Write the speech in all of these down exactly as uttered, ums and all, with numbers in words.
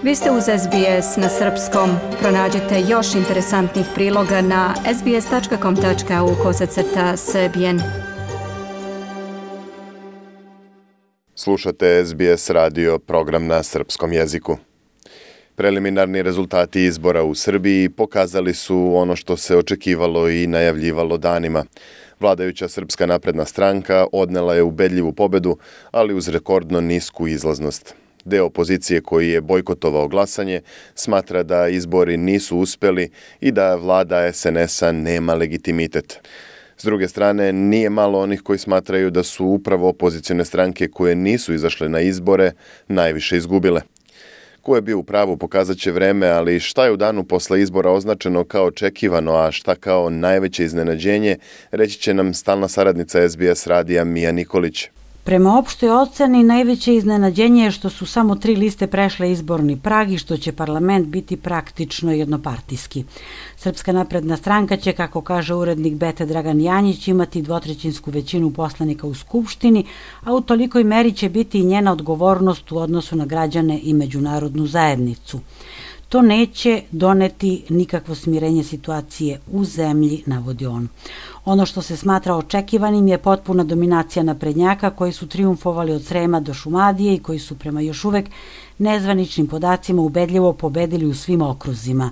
Vi ste uz S B S na srpskom. Pronađite još interesantnih priloga na sbs tačka com tačka au kosacrta srbijen. Slušate S B S radio, program na srpskom jeziku. Preliminarni rezultati izbora u Srbiji pokazali su ono što se očekivalo i najavljivalo danima. Vladajuća Srpska napredna stranka odnela je ubedljivu pobedu, ali uz rekordno nisku izlaznost. Deo opozicije koji je bojkotovao glasanje smatra da izbori nisu uspeli i da vlada S N S-a nema legitimitet. S druge strane, nije malo onih koji smatraju da su upravo opozicione stranke koje nisu izašle na izbore najviše izgubile. Ko je bio u pravu pokazat će vreme, ali šta je u danu posle izbora označeno kao očekivano, a šta kao najveće iznenađenje, reći će nam stalna saradnica S B S radija Mija Nikolić. Prema opštoj oceni, najveće iznenađenje je što su samo tri liste prešle izborni prag i što će parlament biti praktično jednopartijski. Srpska napredna stranka će, kako kaže urednik Bete Dragan Janjić, imati dvotrećinsku većinu poslanika u Skupštini, a u tolikoj meri će biti i njena odgovornost u odnosu na građane i međunarodnu zajednicu. To neće doneti nikakvo smirenje situacije u zemlji, navodi on. Ono što se smatra očekivanim je potpuna dominacija naprednjaka koji su trijumfovali od Srema do Šumadije i koji su prema još uvek nezvaničnim podacima ubedljivo pobedili u svim okruzima.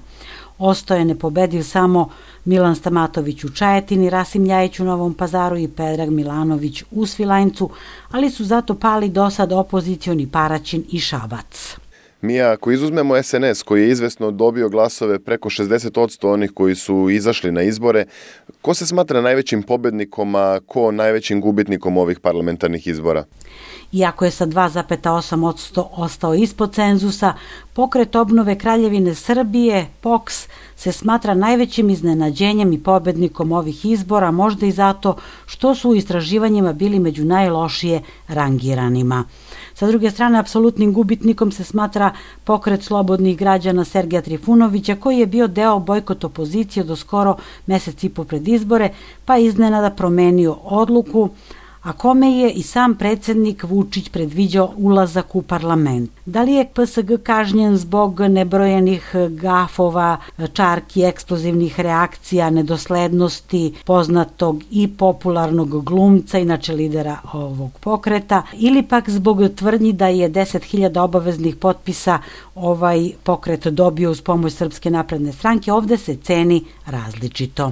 Ostao je nepobediv samo Milan Stamatović u Čajetini, Rasim Ljajić u Novom Pazaru i Predrag Milanović u Svilajncu, ali su zato pali do sad opozicioni Paraćin i Šabac. Mija, ako izuzmemo S N S koji je izvesno dobio glasove preko šezdeset posto onih koji su izašli na izbore, ko se smatra najvećim pobednikom, a ko najvećim gubitnikom ovih parlamentarnih izbora? Iako je sa dva zarez osam posto ostao ispod cenzusa, Pokret obnove Kraljevine Srbije, P O K S, se smatra najvećim iznenađenjem i pobednikom ovih izbora, možda i zato što su u istraživanjima bili među najlošije rangiranima. Sa druge strane, apsolutnim gubitnikom se smatra Pokret slobodnih građana Sergeja Trifunovića, koji je bio deo bojkot opozicije do skoro mesec i po pred izbore, pa iznenada promenio odluku, a kome je i sam predsjednik Vučić predviđao ulazak u parlament. Da li je P S G kažnjen zbog nebrojenih gafova, čarki, eksplozivnih reakcija, nedoslednosti poznatog i popularnog glumca, inače lidera ovog pokreta, ili pak zbog tvrdnji da je deset hiljada obaveznih potpisa ovaj pokret dobio uz pomoć Srpske napredne stranke, ovde se ceni različito.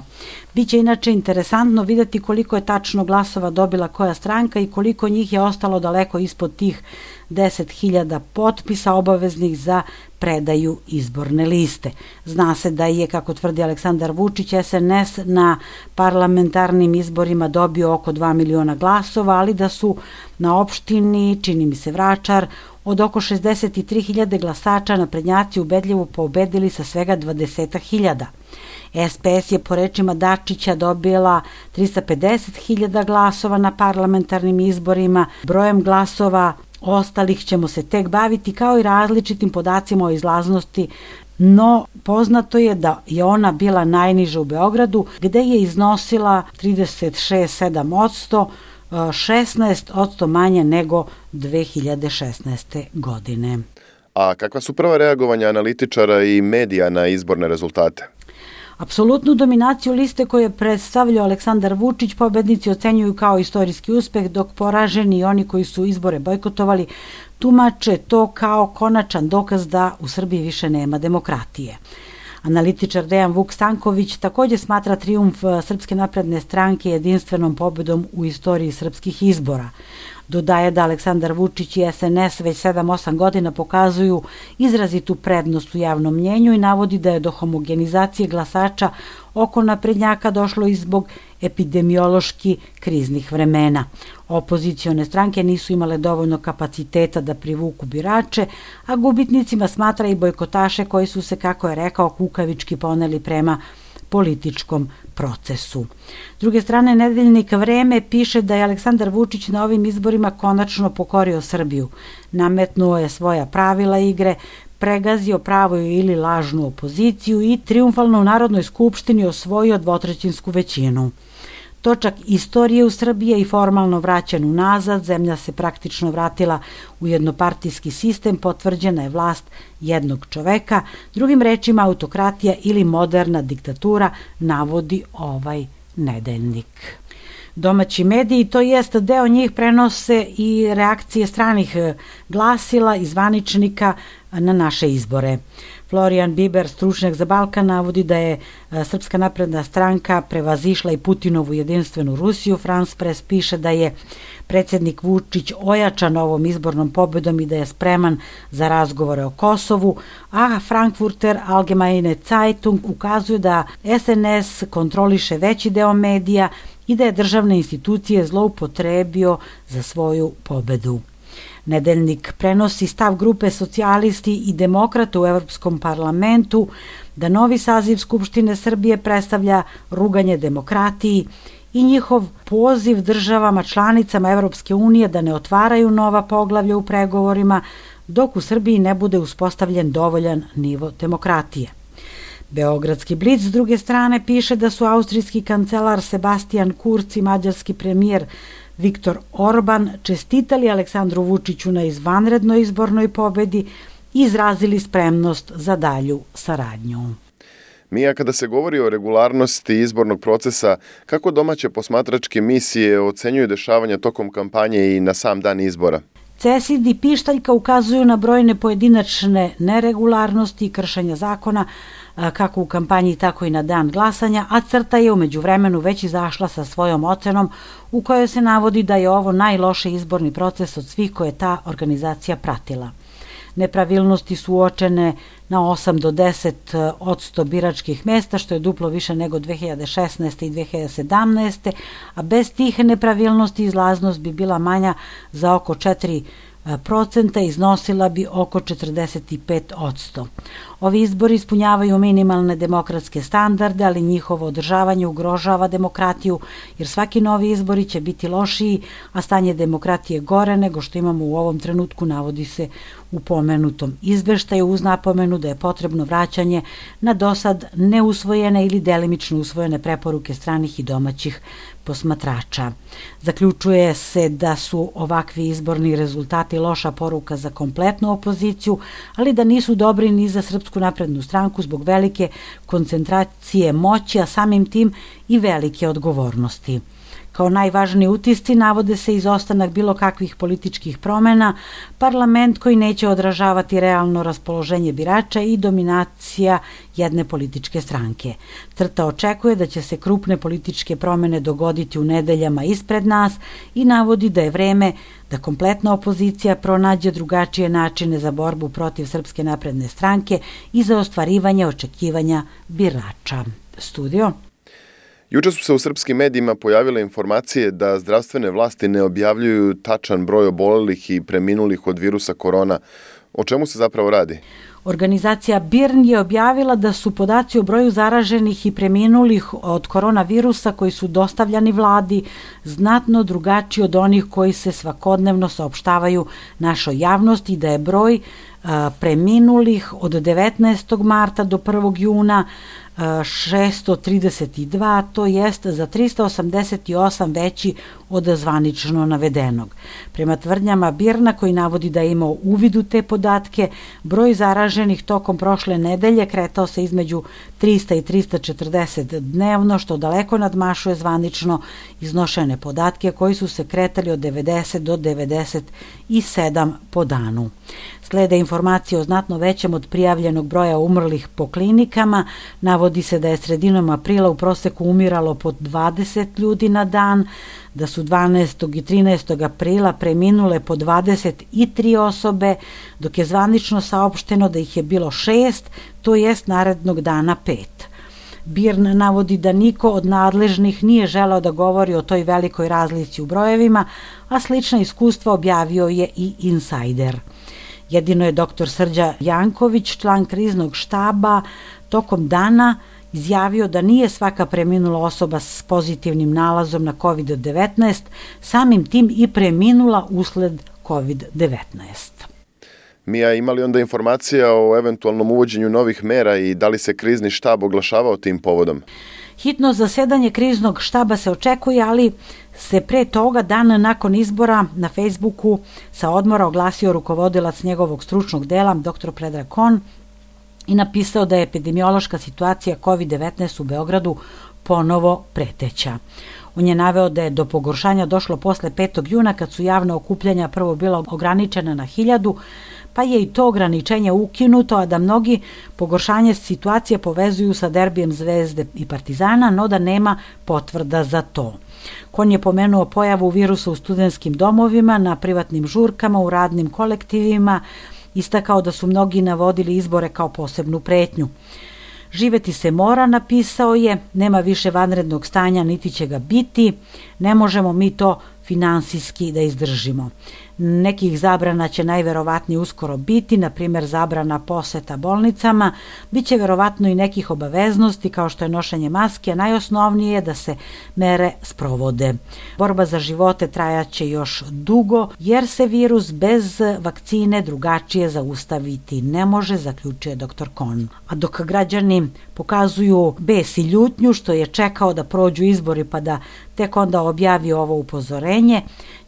Biće inače interesantno vidjeti koliko je tačno glasova dobila koja stranka i koliko njih je ostalo daleko ispod tih deset hiljada potpisa obaveznih za predaju izborne liste. Zna se da je, kako tvrdi Aleksandar Vučić, S N S na parlamentarnim izborima dobio oko dva miliona glasova, ali da su na opštini, čini mi se Vračar, od oko šezdeset tri hiljade glasača naprednjaci ubedljivo pobedili sa svega dvadeset hiljada. S P S je po rečima Dačića dobila trista pedeset hiljada glasova na parlamentarnim izborima. Brojem glasova ostalih ćemo se tek baviti, kao i različitim podacima o izlaznosti, no poznato je da je ona bila najniža u Beogradu, gde je iznosila trideset šest zarez sedam posto, šesnaest posto manje nego dve hiljade šesnaeste. godine. A kakva su prva reagovanja analitičara i medija na izborne rezultate? Apsolutnu dominaciju liste koje je predstavljao Aleksandar Vučić pobednici ocenjuju kao istorijski uspeh, dok poraženi i oni koji su izbore bojkotovali tumače to kao konačan dokaz da u Srbiji više nema demokratije. Analitičar Dejan Vuk Stanković također smatra trijumf Srpske napredne stranke jedinstvenom pobedom u istoriji srpskih izbora. Dodaje da Aleksandar Vučić i S N S već sedam osam godina pokazuju izrazitu prednost u javnom mnjenju i navodi da je do homogenizacije glasača oko naprednjaka došlo i zbog epidemiološki kriznih vremena. Opozicione stranke nisu imale dovoljno kapaciteta da privuku birače, a gubitnicima smatra i bojkotaše koji su se, kako je rekao, kukavički poneli prema političkom procesu. S druge strane, nedeljnik Vreme piše da je Aleksandar Vučić na ovim izborima konačno pokorio Srbiju. Nametnuo je svoja pravila igre, pregazio pravu ili lažnu opoziciju i trijumfalno u Narodnoj skupštini osvojio dvotrećinsku većinu. Točak istorije u Srbiji je i formalno vraćen unazad, zemlja se praktično vratila u jednopartijski sistem, potvrđena je vlast jednog čoveka, drugim rečima autokratija ili moderna diktatura, navodi ovaj nedeljnik. Domaći mediji, to jest deo njih, prenose i reakcije stranih glasila i zvaničnika na naše izbore. Florijan Biber, stručnjak za Balkan, navodi da je Srpska napredna stranka prevazišla i Putinovu jedinstvenu Rusiju. France Press piše da je predsjednik Vučić ojačan ovom izbornom pobedom i da je spreman za razgovore o Kosovu, a Frankfurter Allgemeine Zeitung ukazuje da S N S kontroliše veći deo medija i da je državne institucije zloupotrebio za svoju pobedu. Nedeljnik prenosi stav grupe socijalisti i demokrata u Evropskom parlamentu da novi saziv Skupštine Srbije predstavlja ruganje demokratiji i njihov poziv državama članicama Evropske unije da ne otvaraju nova poglavlja u pregovorima dok u Srbiji ne bude uspostavljen dovoljan nivo demokratije. Beogradski Blic s druge strane piše da su austrijski kancelar Sebastian Kurz i mađarski premijer Viktor Orban čestitali Aleksandru Vučiću na izvanrednoj izbornoj pobedi i izrazili spremnost za dalju saradnju. Mija, kada se govori o regularnosti izbornog procesa, kako domaće posmatračke misije ocenjuju dešavanja tokom kampanje i na sam dan izbora? CESID i Pištaljka ukazuju na brojne pojedinačne neregularnosti i kršenja zakona, kako u kampanji, tako i na dan glasanja, a CRTA je umeđu vremenu već izašla sa svojom ocenom u kojoj se navodi da je ovo najlošiji izborni proces od svih koje ta organizacija pratila. Nepravilnosti su uočene na osam do deset odsto biračkih mesta, što je duplo više nego dve hiljade šesnaeste i dve hiljade sedamnaeste, a bez tih nepravilnosti izlaznost bi bila manja za oko četiri procenta, iznosila bi oko četrdeset pet odsto. Ovi izbori ispunjavaju minimalne demokratske standarde, ali njihovo održavanje ugrožava demokratiju, jer svaki novi izbori će biti lošiji, a stanje demokratije gore nego što imamo u ovom trenutku, navodi se u pomenutom izveštaju, uz napomenu da je potrebno vraćanje na dosad neusvojene ili delimično usvojene preporuke stranih i domaćih posmatrača. Zaključuje se da su ovakvi izborni rezultati loša poruka za kompletnu opoziciju, ali da nisu dobri ni za Srpsku naprednu stranku zbog velike koncentracije moći, a samim tim i velike odgovornosti. Kao najvažniji utisci navode se izostanak bilo kakvih političkih promena, parlament koji neće odražavati realno raspoloženje birača i dominacija jedne političke stranke. CRTA očekuje da će se krupne političke promene dogoditi u nedeljama ispred nas i navodi da je vreme da kompletna opozicija pronađe drugačije načine za borbu protiv Srpske napredne stranke i za ostvarivanje očekivanja birača. Studio. Juče su se u srpskim medijima pojavile informacije da zdravstvene vlasti ne objavljuju tačan broj obolelih i preminulih od virusa korona. O čemu se zapravo radi? Organizacija B I R N je objavila da su podaci o broju zaraženih i preminulih od koronavirusa koji su dostavljani vladi znatno drugačiji od onih koji se svakodnevno saopštavaju našoj javnosti i da je broj a, preminulih od devetnaestog marta do prvog juna šesto trideset dva, to jest za trista osamdeset osam veći od zvanično navedenog. Prema tvrdnjama B I R N-a, koji navodi da je imao uvid u te podatke, broj zaraženih tokom prošle nedelje kretao se između trista i trista četrdeset dnevno, što daleko nadmašuje zvanično iznošene podatke koji su se kretali od devedeset do devedeset sedam po danu. Slede informacije o znatno većem od prijavljenog broja umrlih po klinikama. Navodi se da je sredinom aprila u proseku umiralo po dvadeset ljudi na dan, da su dvanaestog i trinaestog aprila preminule po dvadeset tri osobe, dok je zvanično saopšteno da ih je bilo šest, to jest narednog dana pet. B I R N navodi da niko od nadležnih nije želeo da govori o toj velikoj razlici u brojevima, a slična iskustva objavio je i Insider. Jedino je doktor Srđa Janković, član kriznog štaba, tokom dana izjavio da nije svaka preminula osoba s pozitivnim nalazom na kovid devetnaest, samim tim i preminula usled kovid devetnaest. Mija, ima li onda informacija o eventualnom uvođenju novih mera i da li se krizni štab oglašavao tim povodom? Hitno zasedanje kriznog štaba se očekuje, ali se pre toga, dan nakon izbora, na Facebooku sa odmora oglasio rukovodilac njegovog stručnog dela, doktor Predrag Kon, i napisao da je epidemiološka situacija kovid devetnaest u Beogradu ponovo preteća. On je naveo da je do pogoršanja došlo posle petog juna, kad su javna okupljanja prvo bila ograničena na hiljadu, pa je i to ograničenje ukinuto, a da mnogi pogoršanje situacije povezuju sa derbijem Zvezde i Partizana, no da nema potvrda za to. Kon je pomenuo pojavu virusa u studentskim domovima, na privatnim žurkama, u radnim kolektivima, istakao da su mnogi navodili izbore kao posebnu pretnju. Živeti se mora, napisao je, nema više vanrednog stanja, niti će ga biti, ne možemo mi to finansijski da izdržimo. Nekih zabrana će najverovatnije uskoro biti, na primjer zabrana poseta bolnicama, bit će verovatno i nekih obaveznosti kao što je nošenje maske, a najosnovnije je da se mere sprovode. Borba za živote trajaće još dugo, jer se virus bez vakcine drugačije zaustaviti ne može, zaključio je doktor Kon. A dok građani pokazuju bes i ljutnju što je čekao da prođu izbori pa da tek onda objavi ovo upozorenje,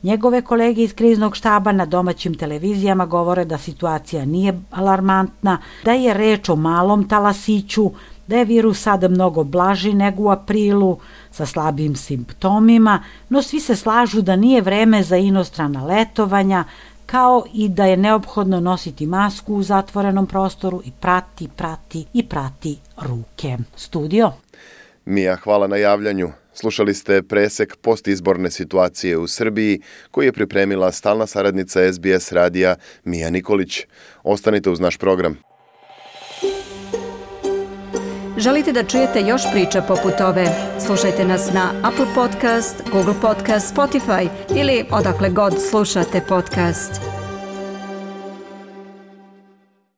njegove kolege iz kriznog štaba na domaćim televizijama govore da situacija nije alarmantna, da je reč o malom talasiću, da je virus sada mnogo blaži nego u aprilu, sa slabim simptomima, no svi se slažu da nije vreme za inostrana letovanja, kao i da je neophodno nositi masku u zatvorenom prostoru i prati, prati i prati ruke. Studio. Mija, hvala na javljanju. Slušali ste presek postizborne situacije u Srbiji koji je pripremila stalna saradnica S B S radija Mija Nikolić. Ostanite uz naš program. Želite da čujete još priča poput ove? Slušajte nas na Apple Podcast, Google Podcast, Spotify ili odakle god slušate podcast.